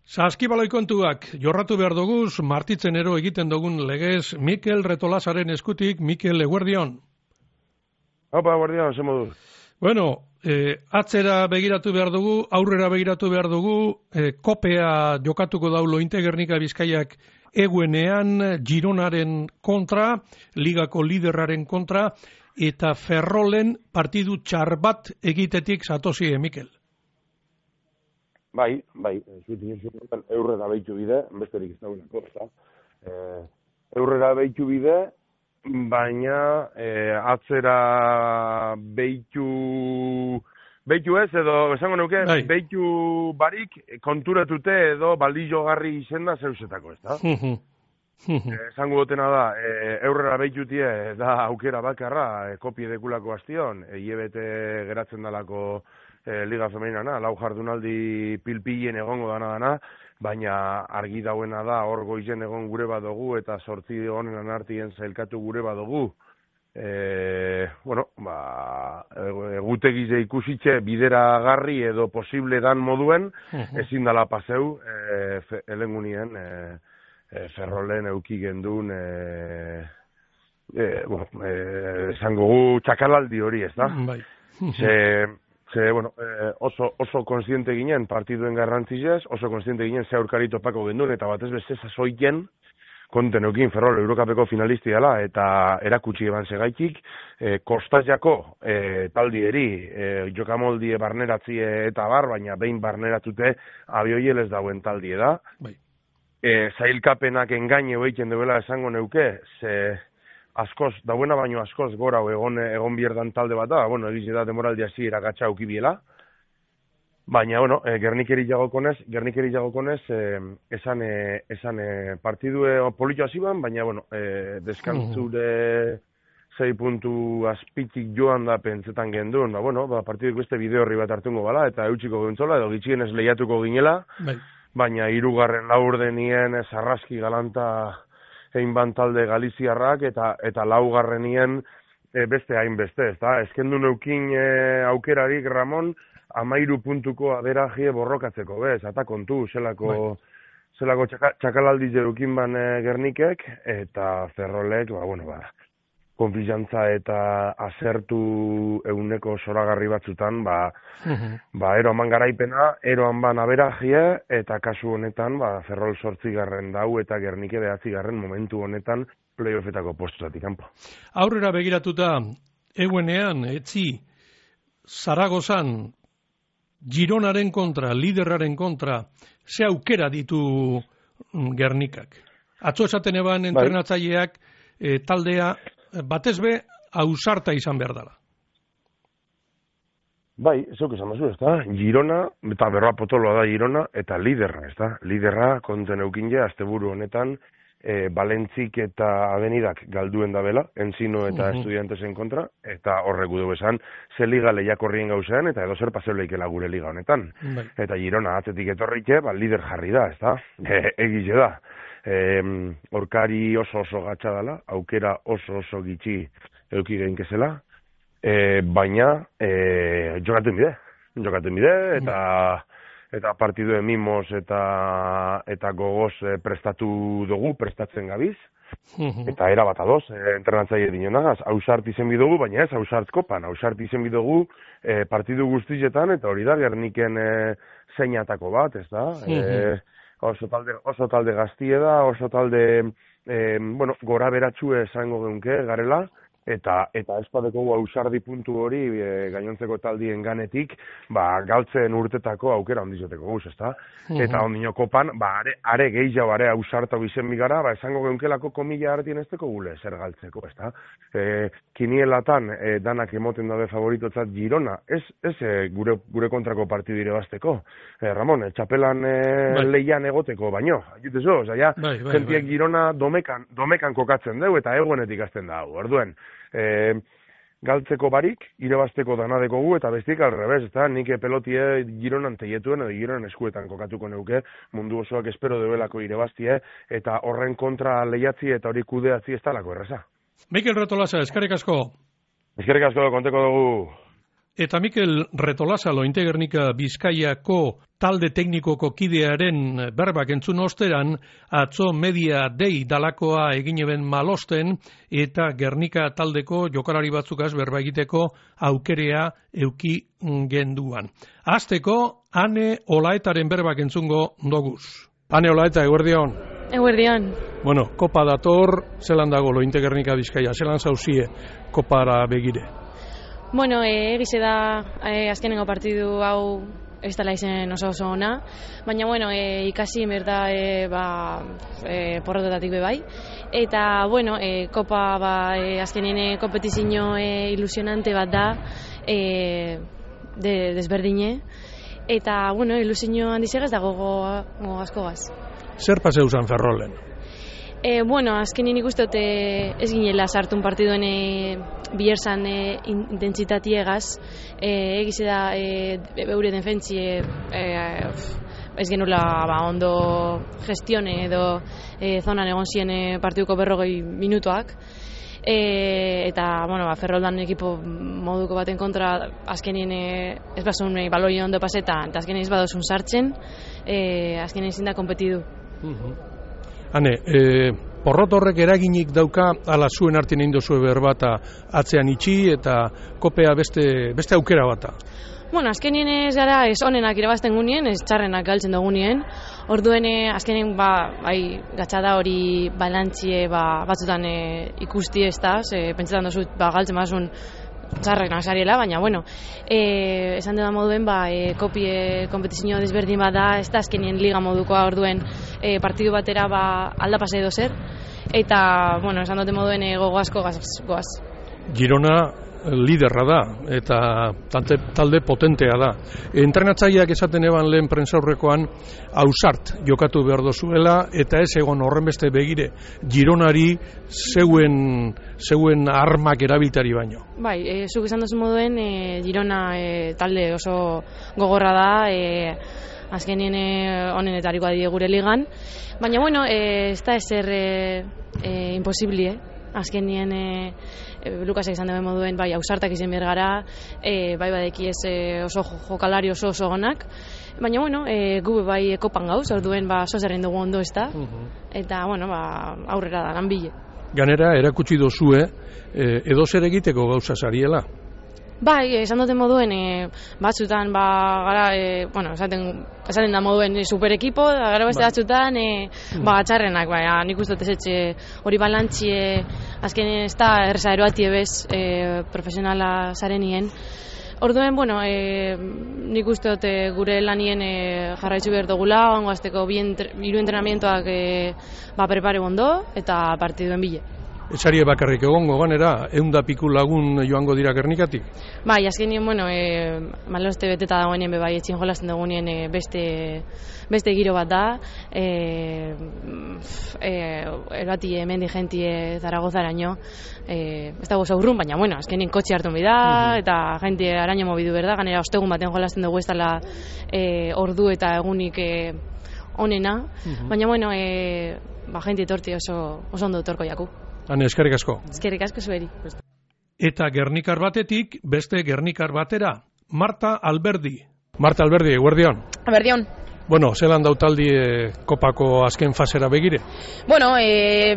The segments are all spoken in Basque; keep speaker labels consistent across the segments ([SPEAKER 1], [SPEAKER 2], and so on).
[SPEAKER 1] Saskibaloi kontuak jorratu behar doguz, martitzenero egiten dugun legez Mikel Retolasaren eskutik. Mikel, eguerdion.
[SPEAKER 2] Opa, eguerdion, ze modu.
[SPEAKER 1] Bueno, atzera begiratu behar dugu, aurrera begiratu behar dugu, kopea jokatuko daulo Integernika Bizkaiak eguenean Gironaren kontra, ligako liderraren kontra, eta Ferrolen partidu txar bat egitetik zatozie, Mikel.
[SPEAKER 2] Bai, eurrera behitu bide, besterik ez dagoenako, eurrera behitu bide, baina atzera behitu ez, edo esango nuke, behitu barik konturatute edo baldillogarri izenda zeusetako, ez da? Esango gotena da, eurrera behitutie da aukera bakarra, kopie dekulako hastion, hilebete geratzen dalako Liga Femenina, lau jardunaldi pilpilen egongo dana, baina argi dauena da, hor goizen egon gure badugu eta 8 honen artien zailkatu gure badugu. Egutegize ikusitxe bideragarri edo posible dan moduen, ezin dala paseu, helengunien Ferrolen euki gendun, esango gu txakalaldi hori, ez da? Oso konstiente ginen partiduen garrantzizez, oso konstiente ginen ze aurkari topako gendun, eta batez beste sasoiken konten eukin Ferrol Eurokapeko finalisti dela, eta erakutsi eban segaitik, kostazjako taldieri, jokamoldie barneratzie eta bar, baina behin barneratute abioielez dauen taldie da. Zailkapenak engaine hoeiten duela esango neuke, ze askoz, dauena baino askoz gora egon bierdan talde bat da, egiz da demoraldi hasi eragatxa aukibiela, baina, Gernikeri jagokonez, esan partidue polito hasi ban, baina, deskantzure 6 puntu azpitik joan da pentsetan gendun, partiduko beste bideo horri bat hartungo bala, eta eutxiko gintzola, edo gitxien ez lehiatuko ginela, baina 3. laurdenien sarraski galanta hainban talde galiziarrak eta 4. Beste hainbeste, ez da? Ezkendu neukin aukerarik, Ramon, 13 puntuko aberajie borrokatzeko, bez? Eta kontu, zelako txakalaldi jerukin ban Gernikek, eta Ferrolek, konfizantza eta asertu euneko zoragarri batzutan, eroan ban garaipena, eroan ban aberajie, eta kasu honetan, Ferrol 8. dau, eta Gernike 9. momentu honetan, playoffetako postutatik kanpo.
[SPEAKER 1] Aurrera begiratuta, eguenean, etzi, Zaragozan, Gironaren kontra, liderraren kontra, ze aukera ditu Gernikak. Atzo esaten eban entrenatzaileak taldea, batez be, ausarta izan behar dela.
[SPEAKER 2] Bai, zeuk esan bazu, ez da? Girona, eta berroa potoloa da Girona, eta liderra, ez da? Liderra, konten eukinje, asteburu honetan, Balentzik eta Avenidak galduen da bela, Enzino eta Estudiantesen kontra, eta horrek dugu esan, ze liga lehiakorrien gauzean, eta edo zer paseu leikela gure liga honetan. Eta Girona atzetik etorrike, lider jarri da, ez da? Egize da. Orkari oso gatsa dela, aukera oso gitxi euki geinkezela, baina jokaten bide, eta partiduen mimos eta gogoz prestatzen gabiz, eta era bat adoz, entrenatzaile dinonagaz, ausart izen bidugu, baina ez ausart kopan, ausart izen bidugu partidu guztietan, eta hori da Gerniken zeinatako bat, ez da? Oso talde gaztie da, oso talde, gora beratxue esango geunke garela, eta espadeko ausardi puntu hori gainontzeko taldien ganetik, galtzen urtetako aukera ondizoteko guz, ezta? Eta ondino kopan, are gehiago, are ausartau izen bigara, esango geunkelako komila hartien ezteko gule zer galtzeko, ezta? Kinielatan danak emoten dabe favoritotzat Girona, ez gure kontrako partidu irabazteko. Ramon, txapelan lehian egoteko, baino, jutezo, jentiek Girona domekan kokatzen deu, eta eguenetik azten da, orduen. Galtzeko barik, irabazteko danadeko gu, eta bestik alrebez, eta nik pelotie Gironan teietuen, edo Gironan eskuetan kokatuko neuke, mundu osoak espero deuelako irabaztie, eta horren kontra lehiatzi eta hori kudeatzi ez talako erreza.
[SPEAKER 1] Mikel Retolasa, eskerrik asko.
[SPEAKER 2] Eskerrik asko, konteko dugu.
[SPEAKER 1] Eta Mikel Retolazalo Integernika Bizkaiako talde teknikoko kidearen berbak entzun osteran, atzo media dei dalakoa egin eben malosten eta Gernika taldeko jokalari batzukaz berba egiteko aukerea euki genduan. Hasteko, Ane Olaetaren berbak entzungo doguz. Ane Olaeta, eguerdion.
[SPEAKER 3] Eguerdion.
[SPEAKER 1] Bueno, kopa dator, zelan dago lo Integernika Bizkaia, zelan zauzie kopara begire?
[SPEAKER 3] Bueno, egize da azkenengo partidu hau ez dela izen oso ona, baina bueno, ikasi merda porrotetatik bebai. Eta bueno, kopa azkenene kompetizio ilusionante bat da, desberdine. Eta bueno, ilusio handizegaz da gogo askogaz.
[SPEAKER 1] Zer paseu zan Ferrolen?
[SPEAKER 3] Bueno, azkenin ikustote ez ginela sartun partiduen bierzan intentsitatiegaz, egize da beure defentzie ez genula ondo gestione edo zonan egon ziren partiduko 40 minutuak. Eta bueno, Ferroldan ekipo moduko baten kontra azkenien ez basun baloi ondo pasetan eta azkenien ez badozun sartzen, azkenien ezin da konpetidu.
[SPEAKER 1] Hane, porrot horrek eraginik dauka ala zuen artien egin dozue berbata atzean itxi eta kopea beste aukera bata?
[SPEAKER 3] Bueno, azkenien ez gara ez onenak irabazten gunien, ez txarrenak galtzen dugunien. Orduen azkenien gatxada hori balantzie batzutan ikusti ez da, pentsetan dozut galtzen bazun txarrenak zariela, baina bueno, esan dudan moduen kopie kompetizio desberdin bada, ez da azkenien liga modukoa orduen partidu batera aldapase edo zer, eta bueno, esan duten moduen gogo asko goaz.
[SPEAKER 1] Girona liderra da eta talde potentea da. Entrenatzaileak esaten eban lehen prentsaurrekoan ausart jokatu behar dozuela eta ez egon horren beste begire Gironari zeuen armak erabiltari baino.
[SPEAKER 3] Bai, zuk esan duzu moduen Girona talde oso gogorra da, azkenien honenetariko adide gure ligan, baina bueno, ez da ezer imposibli, azkenien Lukasek izan duen moduen, ausartak izan behar gara, badeki ez oso jokalari oso onak, baina bueno, gu kopan gauz, orduen sozerren dugu ondo ez da, eta bueno, aurrera da lanbile.
[SPEAKER 1] Ganera, erakutsi dozue, edo zer egiteko gauza zariela?
[SPEAKER 3] Bai, esan duten moduen, batzutan, gara, bueno, esaten da moduen superekipo, gara beste batzutan, txarrenak, nik uste dut hori balantzie, azken ez da erreza eroatie bez, profesionala zarenien. Orduen, bueno, nik uste dut gure lanien jarraitzu behar dugula, ongo azteko hiru entrenamientoak prepare ondo, eta partiduen bile.
[SPEAKER 1] Etxarie bakarrik egongo ganera, 100 piku lagun joango dira Gernikatik?
[SPEAKER 3] Bai, azkenien, bueno, maloste beteta dagoenien bebai etxin jolasten dugunien beste giro bat da, erbati hemendi jentie Zaragozaraino, ez dago zaurrun, baina, bueno, azkenien kotxe hartu da, eta jentie araño mobidu berda, ganera ostegun baten jolasten dugu ez dela ordu eta egunik onena, baina, bueno, jentie torti oso ondo torko jaku.
[SPEAKER 1] Hane, eskerrik asko.
[SPEAKER 3] Eskerrik asko zueri.
[SPEAKER 1] Eta Gernikar batetik, beste Gernikar batera, Marta Alberdi. Marta Alberdi, eguerdion.
[SPEAKER 4] Eguerdion.
[SPEAKER 1] Bueno, zelan dautaldi kopako azken fasera begire?
[SPEAKER 4] Bueno,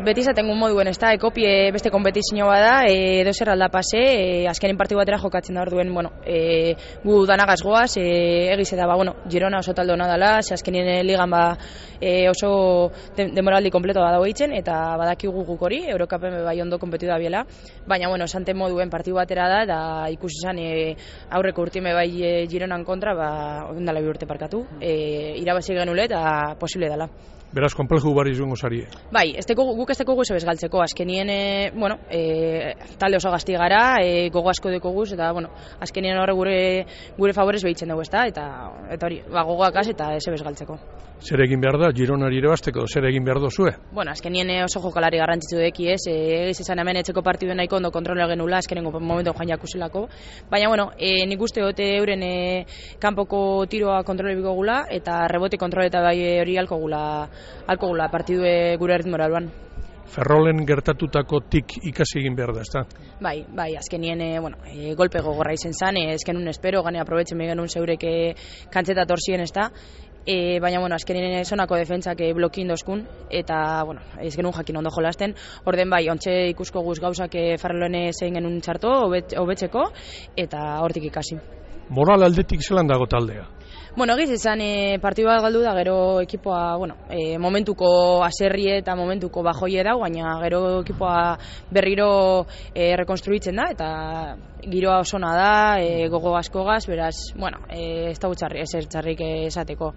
[SPEAKER 4] beti izaten gun moduen, ez da, kopie beste kompetizio bada, edo zer alda pase, azkenin partidu batera jokatzen da orduen, bueno, gu danagaz goaz, egize da, bueno, Girona oso talde hona dela, azkenin ligan oso demoraldi kompleto badago itzen, eta badakigu guk hori, Eurokapen bai ondo kompetitu da biela, baina, bueno, esanten moduen partidu batera da, eta ikusi zan aurreko urtime bai Gironan kontra, ondala bi urte parkatu, irabazi genule eta posible dela.
[SPEAKER 1] Beraz, konpleju bari izango zarie.
[SPEAKER 4] Bai, guk ez teko guzo bezgaltzeko, azkenien, bueno, talde oso gazti gara, gogo asko deko guz, eta, bueno, azkenien horre gure favorez behitzen dugu, eta hori, gogoak az eta ez bezgaltzeko.
[SPEAKER 1] Zer egin behar da, Gironari irabazteko, zer egin behar dozue?
[SPEAKER 4] Bueno, azkenien oso jokalari garrantzitsu deki ez, egiz izan hemen etxeko partidu nahiko ondo kontrola genula, azkenengo momentu joan jakuselako, baina, bueno, nik uste dute euren kanpoko tiroa kontrolebiko gula, eta rebote kontroleta bai hori alko gula partidue gure ritmora aluan.
[SPEAKER 1] Ferrolen gertatutakotik ikasi egin behar da, ezta?
[SPEAKER 4] Bai, azkenien, golpe gogorra izen zan, ezkenun espero, gane aprobetzen begenun zeureke kantzeta torzien, ezta? Baina, azkenien zonako defentsak blokin dozkun, eta, ez genuen jakin ondo jolasten, orden bai, ontxe ikusko guz gauzak Ferrolen zein genuen txarto, hobetzeko, eta hortik ikasi.
[SPEAKER 1] Moral aldetik zelan dago taldea?
[SPEAKER 4] Egiz esan partidu bat galdu da, gero ekipoa, momentuko aserrie eta momentuko bajoie dau, baina gero ekipoa berriro rekonstruitzen da, eta giroa osona da, gogo askogaz, beraz, ez da ezer txarrik esateko.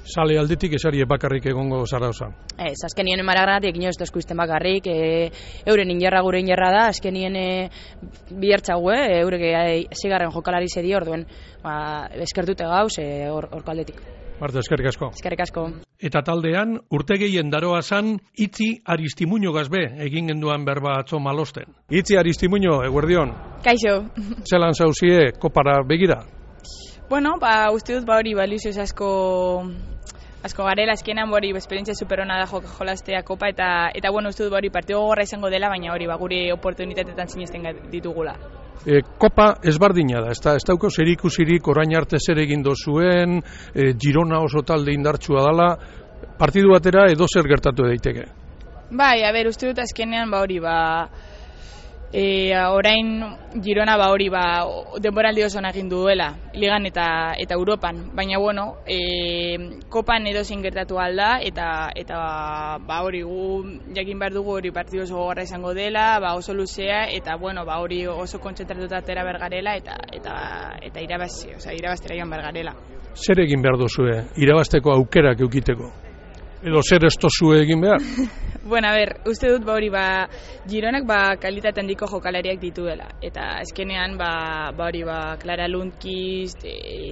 [SPEAKER 1] Sale aldetik esari bakarrik egongo zara osan?
[SPEAKER 4] Ez, azkenien maragranatik inoz tozkuizten bakarrik, euren injerra gure injerra da, azkenien bihertxagu, eurek zigarren jokalari zedi orduen, eskertute gauz horko aldetik.
[SPEAKER 1] Marta, eskerrik asko.
[SPEAKER 4] Eskerrik asko.
[SPEAKER 1] Eta taldean, urte gehien daroa zan, Itzi Aristimuño gazbe egin genduan berba atzo malosten. Itzi Aristimuño, eguerdion.
[SPEAKER 5] Kaixo.
[SPEAKER 1] Zelan zauzie, kopara begira?
[SPEAKER 5] Uste dut hori ilusioz asko garela, azkenan hori esperientzia superona da jolastea kopa, eta uste dut hori partido gogorra izango dela, baina hori gure oportunitatetan sinesten ditugula.
[SPEAKER 1] Kopa ezbardina da, ez dauko zer ikusirik orain arte zer egin dozuen, Girona oso talde indartsua dela, partidu batera edo zer gertatu daiteke?
[SPEAKER 5] Bai, uste dut azkenean orain Girona denboraldi oso egin duela ligan eta Europan, baina kopan edozein gertatu alda eta hori gu jakin behar dugu hori partidu oso gogorra izango dela, oso luzea eta hori oso kontzentratuta atera bergarela eta irabaztera joan bergarela.
[SPEAKER 1] Zer egin behar duzue, irabazteko aukerak eukiteko? Edo zer ez tozue egin behar?
[SPEAKER 5] Uste dut Gironak kalitate handiko jokalariak dituela. Eta azkenean Clara Lundqvist,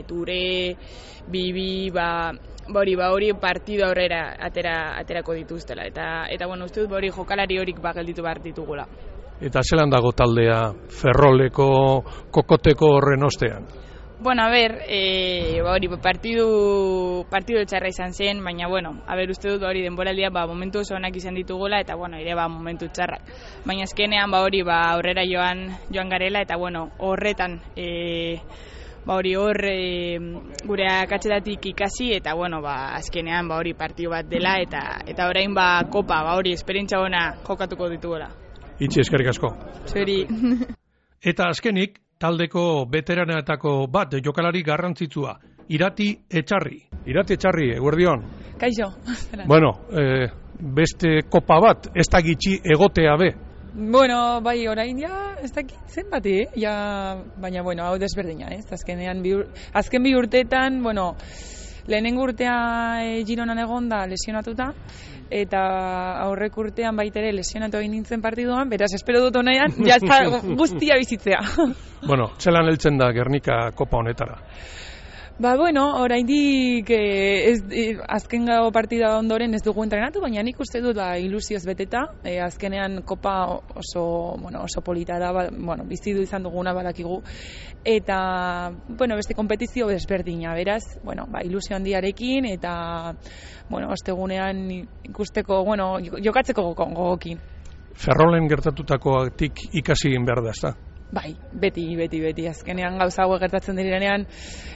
[SPEAKER 5] Ture, Bibi, hori partidu aurrera aterako dituztela. Eta uste dut jokalari horik gelditu behar ditugula.
[SPEAKER 1] Eta zelan dago taldea Ferroleko kokoteko horren ostean? Partidu txarra izan zen, baina, uste dut denboraldia momentu oso onak izan ditugula, eta, ere momentu txarrak. Baina azkenean, aurrera joan garela, eta, horretan, gure akatzetatik ikasi, eta, azkenean, partidu bat dela, eta orain, kopa, esperientzia ona jokatuko ditugula. Itzi, eskerrik asko.
[SPEAKER 5] Zuri.
[SPEAKER 1] Eta azkenik, taldeko veteranetako bat jokalari garrantzitsua, Irati Etxarri. Irati Etxarri, eguerdion.
[SPEAKER 6] Kaixo.
[SPEAKER 1] Beste kopa bat, ez da gitxi egotea be.
[SPEAKER 6] Bai, orain ez dakit zenbati, baina, hau desberdina, ez? Azken bi urteetan, lehenengo urtea Gironan egon da lesionatuta, eta aurrek urtean baitere lesionatu egin nintzen partiduan, beraz, espero dut honean, guztia bizitzea.
[SPEAKER 1] Zelan heltzen da Gernika kopa honetara?
[SPEAKER 6] Oraindik azken gau partida ondoren ez dugu entrenatu, baina nik uste dut ilusioz beteta, azkenean kopa oso polita da, bizidu izan duguna badakigu, eta beste kompetizio desberdina, beraz, ilusio handiarekin, eta ostegunean ikusteko, jokatzeko gogokin.
[SPEAKER 1] Ferrolen gertatutakoatik ikasi egin behar da, ez da?
[SPEAKER 6] Bai, beti, azkenean gauza hauek gertatzen direnean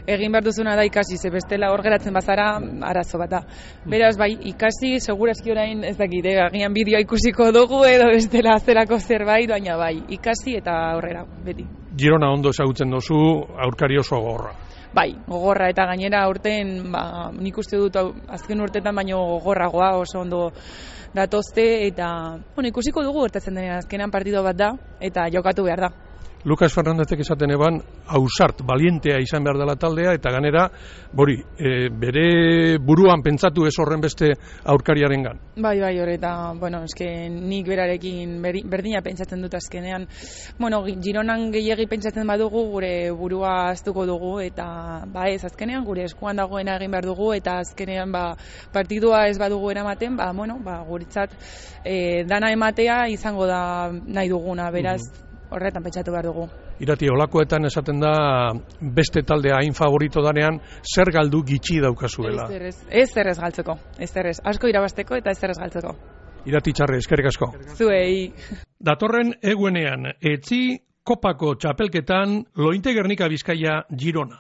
[SPEAKER 6] egin behar duzuna da ikasi, ze bestela hor geratzen bazara arazo bat da. Beraz, ikasi, segurazki orain ez dakit, agian bideoa ikusiko dugu edo bestela zelako zerbait, baina ikasi eta horrera, beti.
[SPEAKER 1] Girona ondo ezagutzen duzu, aurkari oso gogorra.
[SPEAKER 6] Bai, gogorra eta gainera aurten, nik uste dut azken urtetan baino gogorragoa oso ondo datozte eta ikusiko dugu gertatzen denean azkenan partido bat da eta jokatu behar da.
[SPEAKER 1] Lucas Fernandezek esaten eban, ausart, balientea izan behar dela taldea, eta ganera, bere buruan pentsatu ez horren beste aurkariaren gan.
[SPEAKER 6] Bai, horreta, nik berarekin berdina pentsatzen dut azkenean. Gironan gehiagi pentsatzen badugu, gure burua aztuko dugu, eta ez azkenean, gure eskuan dagoena egin behar dugu, eta azkenean partidua ez badugu eramaten, guretzat dana ematea izango da nahi duguna, beraz, horretan pentsatu behar dugu.
[SPEAKER 1] Irati, olakoetan esaten da beste taldea hain favorito danean, zer galdu gitxi daukazuela?
[SPEAKER 6] Ez zerrez galtzeko, asko irabazteko eta ez zerrez galtzeko.
[SPEAKER 1] Iratitxarre, eskerrik asko.
[SPEAKER 6] Zuei.
[SPEAKER 1] Datorren egunean, etzi kopako txapelketan Lointe Gernika Bizkaia Girona.